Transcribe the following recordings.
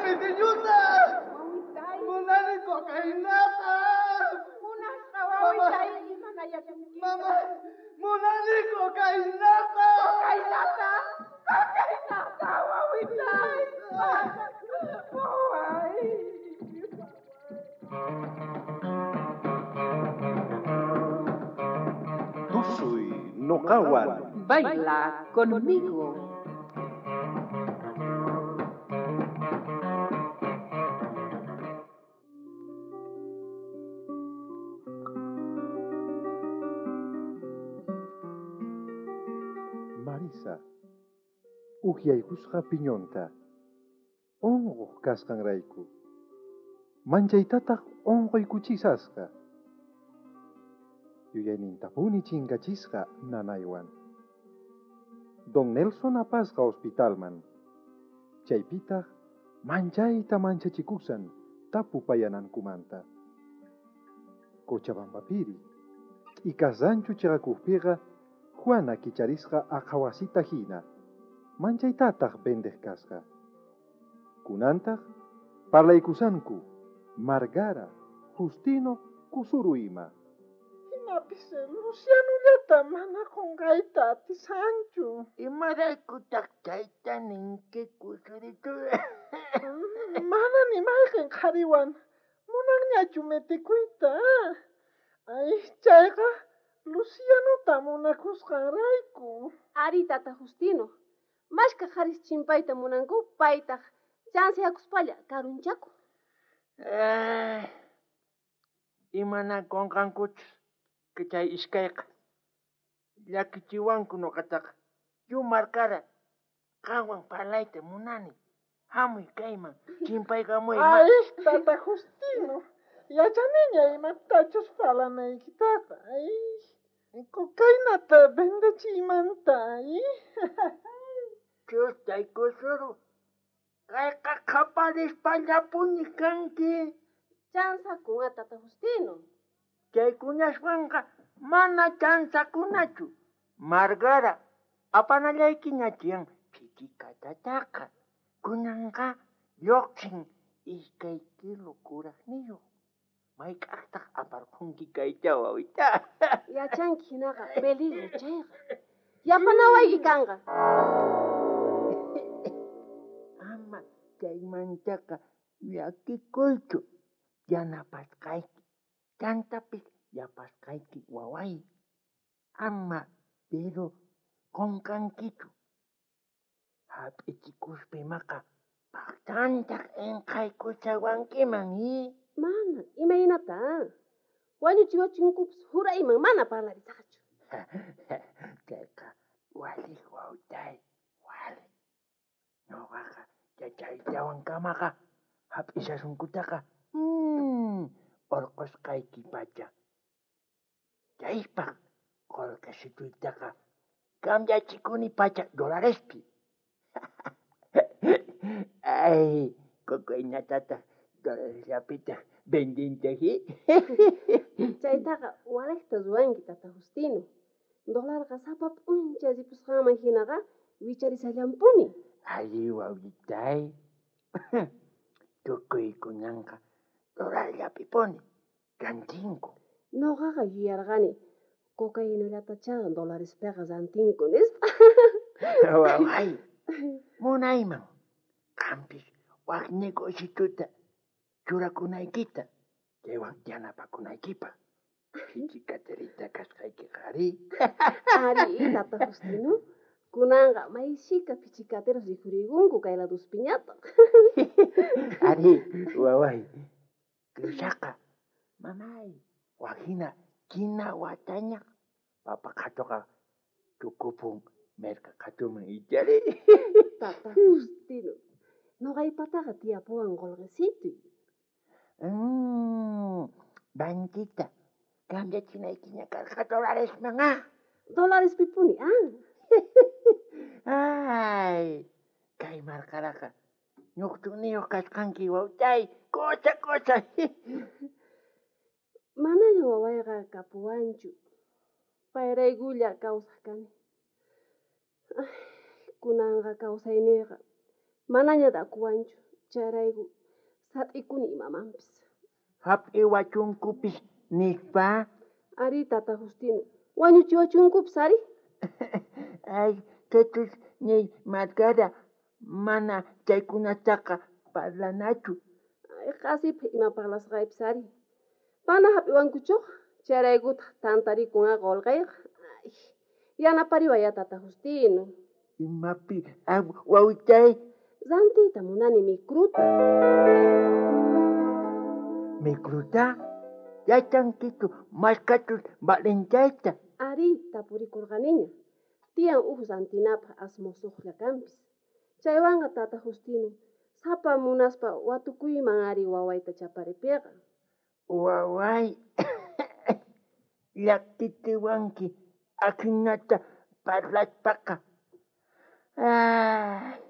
pitiñuta. Munani cocainata. Munasqa wawitay imanayachunki. Mama, munani cocainata. Cocainata. Cocainata wawitay. Waway. Tusuy noqawan. Baila conmigo. Marisa, ukyaykusqa piñonta. Unquq kasqanrayku. Manchaytataq unquykuchisasqa. Yuyaynintapuni chinkachisqa nanaywan. Don Nelson apasqa hospitalman. Chaypitaq manchayta manchachikusan tapupayanankumanta. Cochabambapiri, t'ikasanchu chiqakuqpiqa Juana kicharisqa aqhawasita hina, manchaytataq vendeq kasqa. Kunantaq parlaykusanku Margara, Justino, Kusuru ima. Jinapis Lucianullata mana qunqayta atisanchu. Imaraykutaq chayta ninki, Kusuritu? Mana ni mayqin qhariwan munanñachu metikuyta. Ay, chayqa Lucianuta munakusqanrayku. Ari, tata Justino. Mashka qharis chimpayta munanku, paytaq chansiyakuspalla karunchaku. Imanakunqankuchus chay iskayqa llakichiwanku nuqataqa. Yu markara qanwan parlayta munani. Hamuy kayman, chimpaykamuy. Ay, tata Justino, yachaniña imatachus parlanaykitaqa. Ay, cocainata vendechiymanta. Ay. Chustay Kusuru, kayqa qhaparispallapuni kanki. Chanzakuna, tata Justino. Chaykunaswanqa mana chanzakunachu. Margara, apanallaykiña tiyan phichikatataqa. Kunanqa lluqsin 2 kilo kuraqniyuq. Mayk'aqtaq aparqunki kayta wawita? Yachanki hinaqa peligro chayqa. Yapanawayki kanqa. Ama chaymantaqa llakikuychu. Yanapasqayki. Chantapis yapasqayki waway. Ama pero qunqankichu. Hap'ichikuspa imaqa paqtantaq inqaykuchawankiman, i? Mana, imaynata? Wañuchiwachinkupas jurayman mana parlarisaqchu. Chayqa waliq wawtay, waliq. Ñuqaqa chaytawan kamaqa hap'ishasunkutaqa urqusqayki pacha. Chaypaq qullqisituytaqa cambiachikuni pacha dolarespi. Ay, cocainatataq dolaresllapitaq vendinchik. Chaytaqa waliqta ruwanki, tata Justino. Dolarqa sapa p'unchay ripusqanman hinaqa wicharisallampuni. Ari wawitay. Tukuykunanqa dolarllapipuni rantinku. Noqaqa yuyarqani cocainallatachá dolarespiqa rantinku nispa. Waway, munayman qampis wak negocituta churakunaykita chaywan yanapakunaykipaq. Phichikaterita kasqaykiqa ari. Ari, tata Justino. Kunanqa mayshika phichikateros rikhurikunku kay laduspiñataq. Ari, waway. Cruzaqa, mamay, wajina kina wataña papa qhatuqa tukupun merka qhatuman ichari. Tata Justino, noqaypataqa tiyapuwan qullqisituy. Banquita, cambiachinaykiña karqa dolaresman, ah. Dolarespipuni, ah. Ay, kay markaraqa ñuqtuniyuq kasqanki wawtay, cosa, cosa. Manaña wawayqa kapuwanchu. Payraykulla kawsaq kani. Ay, kunanqa kawsayniyqa manaña dakuwanchu. Chayrayku sat'ikuni imamanpis. Hap'iwachunkupis nispa. Ari, tata Justino, wañuchiwachunkupis ari. Ay, chaychus ñay Margara, mana chaykunataqa parlanachu. Ay, qasipaj ima parlasqaypis ari. Mana hap'iwankuchuqa, chayraykutaq tantarikun a qolqeyqa. Ay, yanapariway ya tata Justino. Imapi wawitay? Rantiyta munani micruta. Micruta? Yachankichu mashkachus valenchayta? Ari, tapurikurqaniña. Tiyan uj rantinapaj asmusuqlla kanpis. Chaywanqa tata Justino, sapa munaspa watukuyman ari wawayta chaparipiqa. Waway, llakitiwanki ajinata parlaspaqa. Ay,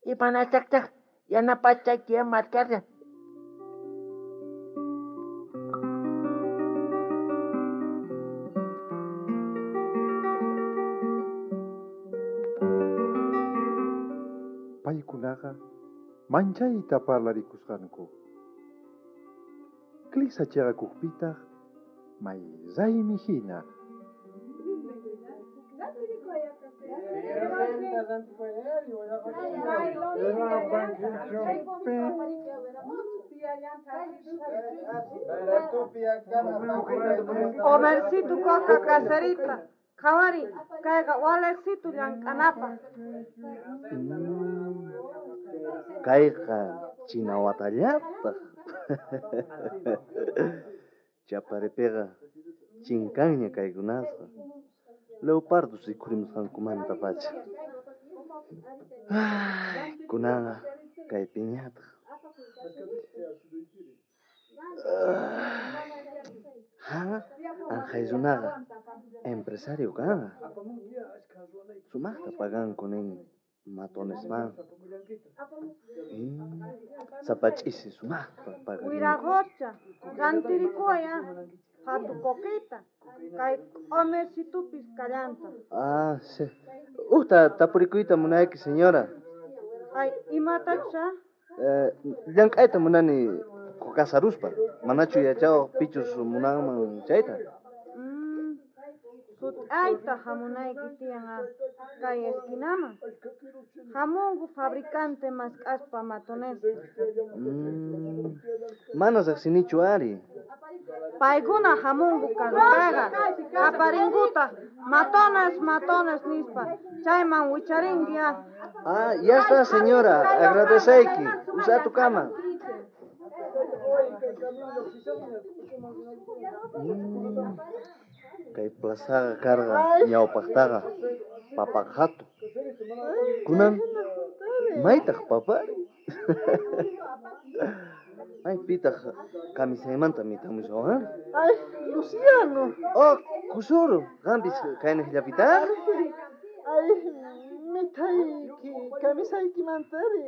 imanasaqtaq yanapasqayki Margara. Paykunaqa manchayta parlarikusqanku. Clisa chayakujpitaq may raymi hina. Omercito coca caserita. Qhawari, kayqa walejsitu llank'anapaj. Kayqa chinawatallataq. Chaparipiqa chinkanña kaykunasqa. Leopardos rikhurimusqankumantapacha. Ay, kunanqa kaypiñataq. Ha, anqhay runaqa empresario kanqa. Sumaqta paganku nin matonesman. Sapa ch'isi sumaqta pagarinku. Wiraqocha, rantirikuway a qhatu coquita, kay q'omercitupis kallanta. Ah, sí. Ujta tapurikuyta munayki, señora. Ay, imatachus a? Llank'ayta munani casaruspa. Manachu yachawaq pichus munanman chayta? Sut'ayta hamunayki tiyan a kay esquinaman. Hamunku fabricante mask'aspa matonesta. Mana riqsinichu ari. Paykuna hamunku carrutaqa, qaparinkutaq matones, matones nispa. Chayman wicharinki a. Ah, ya está, señora. Agradeceyki. Usa tu cama. Kay plazaqa karqa ñawpaqtaqa papaqhatu. Kunan maytaq papari. Ay, pitaq kamisaymanta mitamushawan. Ay, Luciano. Oh, Kusuru, qampis kaynaqllapitaq? Ay, mithayki kamisaykimantari.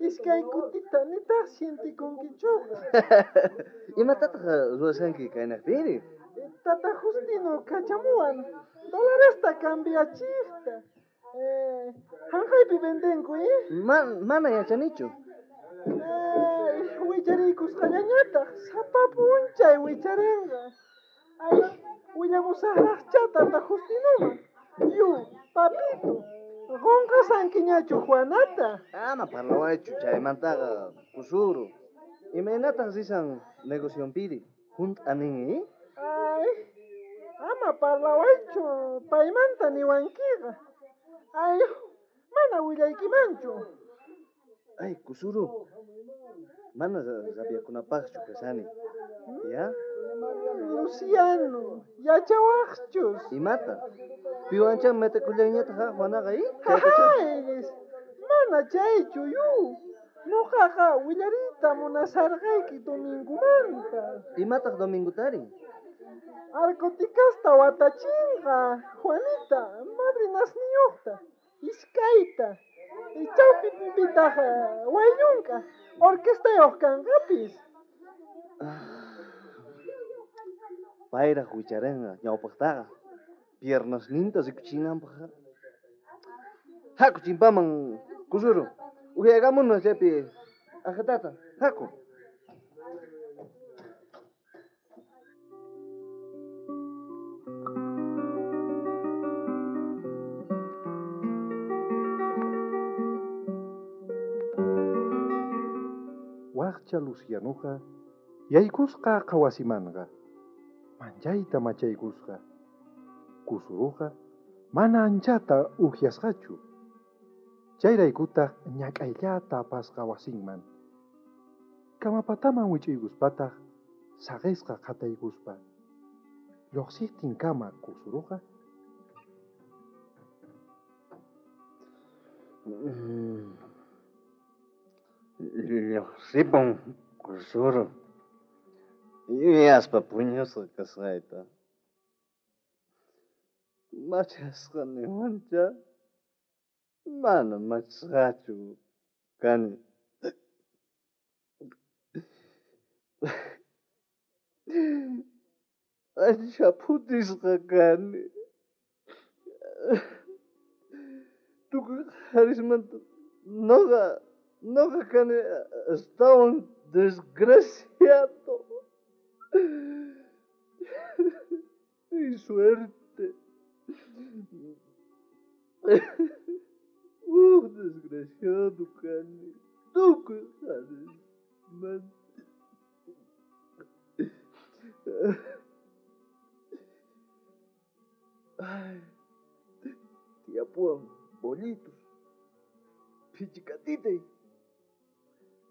Iskay kutita nitaq sientikunkichuqa. Imatataq ruwashanki kaynaqpiri? Tata Justino kachamuwan dolaresta cambiachijta. Hanqaypi vendenku, Mana yachanichu. Ay, wichariykusqallañataq, sapa p'unchay wicharinqa. Ay, willamusaqraqchá Tata Justinoman. Yu, papito, qunqasankiñachu Juanata? Ama parlawaychu chaymantaqa, Kusuru. Imaynataq risan negocionpiri? Hunt'anin, Ay, ama parlawaychu, paymanta niwankiqa. Ay, mana willaykimanchu. Ay, Kusuru, mana rabiakunapaqchu kashani. Ya? Luciano, yachawaqchus. Imata? Piwancha metakullayñataq ha, Juanaqa, Ay, mana chaychu, yu. Nuqaqa willariyta munasarqayki domingomanta. Imataq domingotari? Arcoticasta watachinqa, Juanita, madrinasniyuqta, iskayta. Chawpipitaq wayllunka, orquestayuq kanqapis. Payraq wicharinqa ñawpaqtaqa, piernasninta rikuchinanpaq. Haku chimpaman, Kusuru. Uhyaykamuna chaypi Aja tata, haku. Wajcha Lucianoqa yaykusqa qhawasimanqa, manchayta machaykusqa. Kusuruqa mana anchata ujyasqachu. Chayraykutaq ñak'ayllata apasqa wasinman. Kamapataman wich'uykuspataq saqisqa qhataykuspa. Lluqsiqtinkama kusuruqa Lluqsipun kusuru. Yuyaspa puñusqa kasqayta. Machasqa niwancha. Mana machasqachu kani. Ancha phutisqa kani. Tukuy qharismanta noqa kani astawan desgraciado. Mi suerte. Desgraciado kani. Tukuy qharismanta. Ay, tiyapuwan bollitos. Phichikatitay.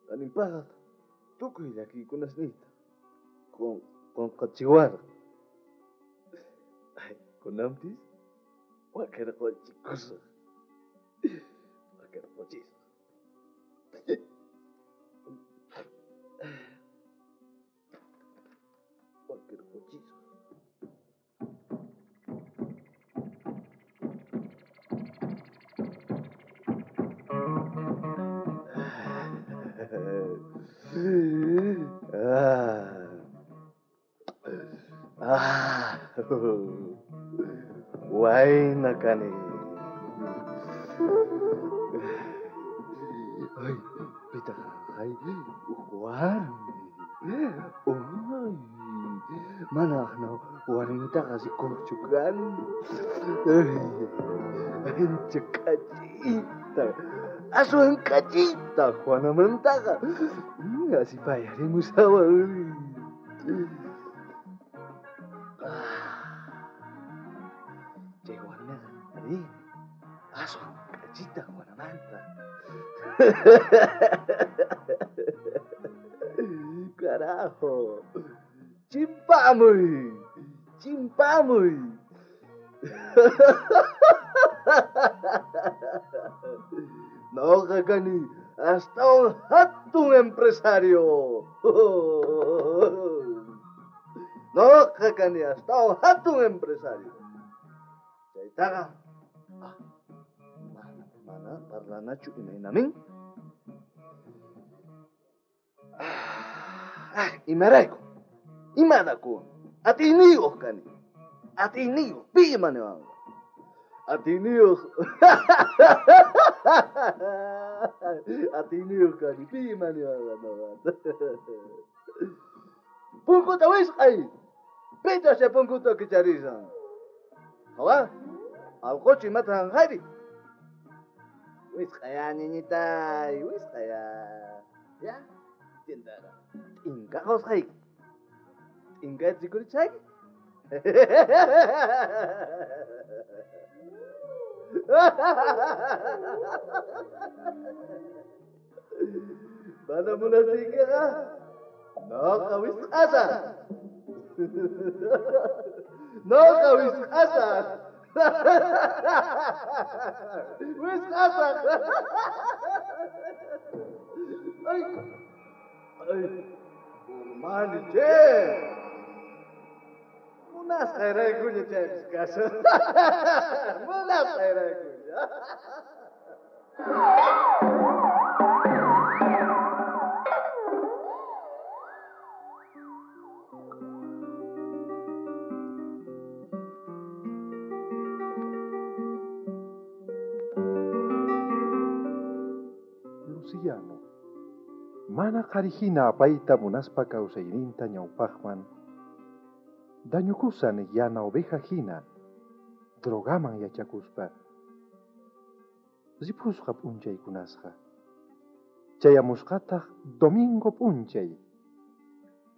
Qanimpaqa tukuy llakiykunasniyta qunqachiwarqa. Ay, kunanpis wakirquchikusaq. Wakirquchisaq. Wakirquchisaq. Wayna kani. Ay, pitaq ay, warmi. Ay, mana aqna warmitaqa rikuqchu kani. Ay, ancha k'achita. Aswan k'achita Juanamantaqa. Asipayarimushawan. Chay warmiqa, arí, aswan k'achita Juanamanta. Carajo. Chimpamuy. Chimpamuy. Noqa kani astawan hatun empresario. Noqa kani astawan hatun empresario. Chaytaqa mana parlanachu imaynamin. Imarayku. Imadaku. Atiyniyuq kani. Atiyniyuq. Pi ima niwanqa. Atiyniyuq. Atiyniyuq kani. Pi ima niwanqa noqata. Punkuta wisq'ay. Pitaq chay punkuta kicharisan. Qhawa. Allquchu imata hanqayri. Wisq'aya ñiñitay. Wisq'aya. Ya. Tindara. T'inka qusqayki. T'inkayta rikurichayki. Mana munasiykiqa noqa wisq'asaq. Noqa wisq'asaq. Wisq'asaq. Ay. Ay. Urmani che. Munasqayraykuña chaypis kashan. Munasqayraykuña. Luciano, Mana qharihina apayta munaspa kawsayninta ñawpaqman. Dañukusan yana oveja hina, drogaman yachakuspa. Ripusqa p'unchaykunasqa. Chayamusqataq domingo p'unchay.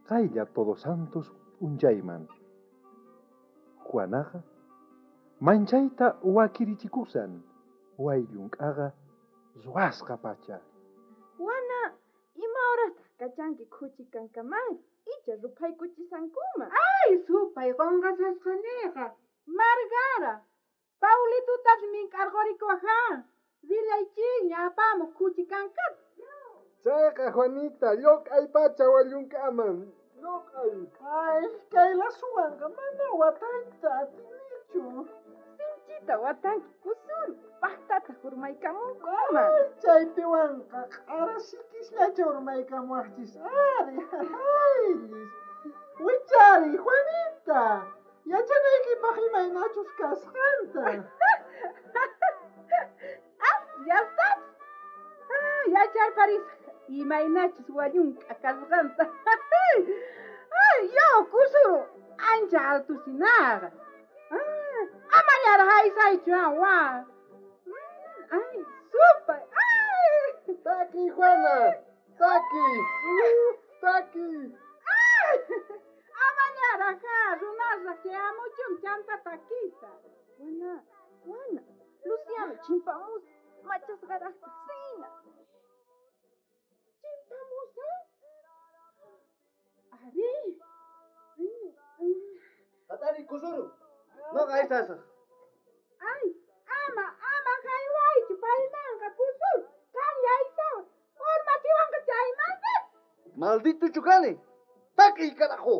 Qaylla Todos Santos p'unchayman. Juanaqa manchayta wakirichikusan, wayllunk'aqa ruwasqa pacha. Juana, ima horastaq kachanki khuchi kankamari icha ruphaykuchisankuman. Ay, supay qonqasasqaniqa. Margara, Paulitutapis mink'arqurikuwaj Rillaychikña apamuq khuchi kankata. Chayqa Juanita, lloq'ay pacha wallunk'aman. Lloq'ay. Ay, kay lasuwanqa mana watayta atinichu. Sinchita watanki kusuru, paqtataq urmaykamunkuman. Ay, chaypiwanqa q'ara sikisllacha urmaykamuwaqchis ari. Ayllis. Wichari, Juanita. Yachanaykipaq imaynachus kasqanta. Ah, ya estás. Ah, yacharparisaq imaynachus wallunk'a kasqanta. Ay, yo, kusuru, ancha altusinaqa. Ah, amallaraq aysaychu wa. Ay, supay. Ay. Taki, Juana. Taki. Taki. Ay. Amallaraq ha, runasraq chayamuchun chanta takiyta. Juana, Juana, Luciano chimpamus, machasqaraqtaq sina. Chimpamusa? Ari. Hatari kusuru. Noqa aysasaq. Ay, ama, ama haywaychu paymanqa kusuru. Qan yaysawa, urmachiwanqa chaymanta. Maldito chukani. Takiy carajo.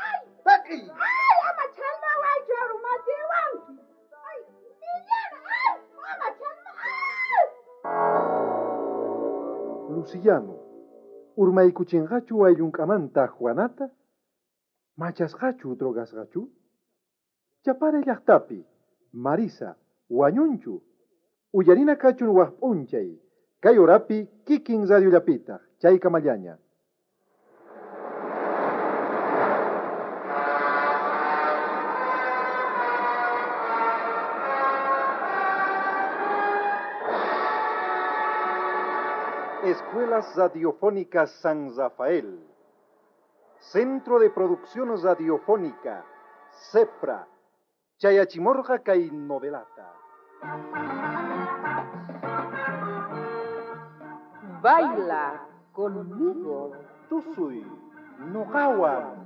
Ay, Takiy. ay, ama chalmawaychu urmachiwanki. Ay, millana, ay, ama chalma, ay. Luciano, urmaykuchinqachu wayllunk'amanta Juanata? Machasqachu drogasqachu? Chapare llaqtapi, Marisa, wañunchu. Uyarina kachun waj p'unchay. Kay horapi kikin radiollapitaq, chaykamallaña. Escuelas Radiofónicas San Rafael. Centro de Producción Radiofónica, CEPRA. Chayachimorga kay novelata. Baila conmigo. Tusuy, noqawan.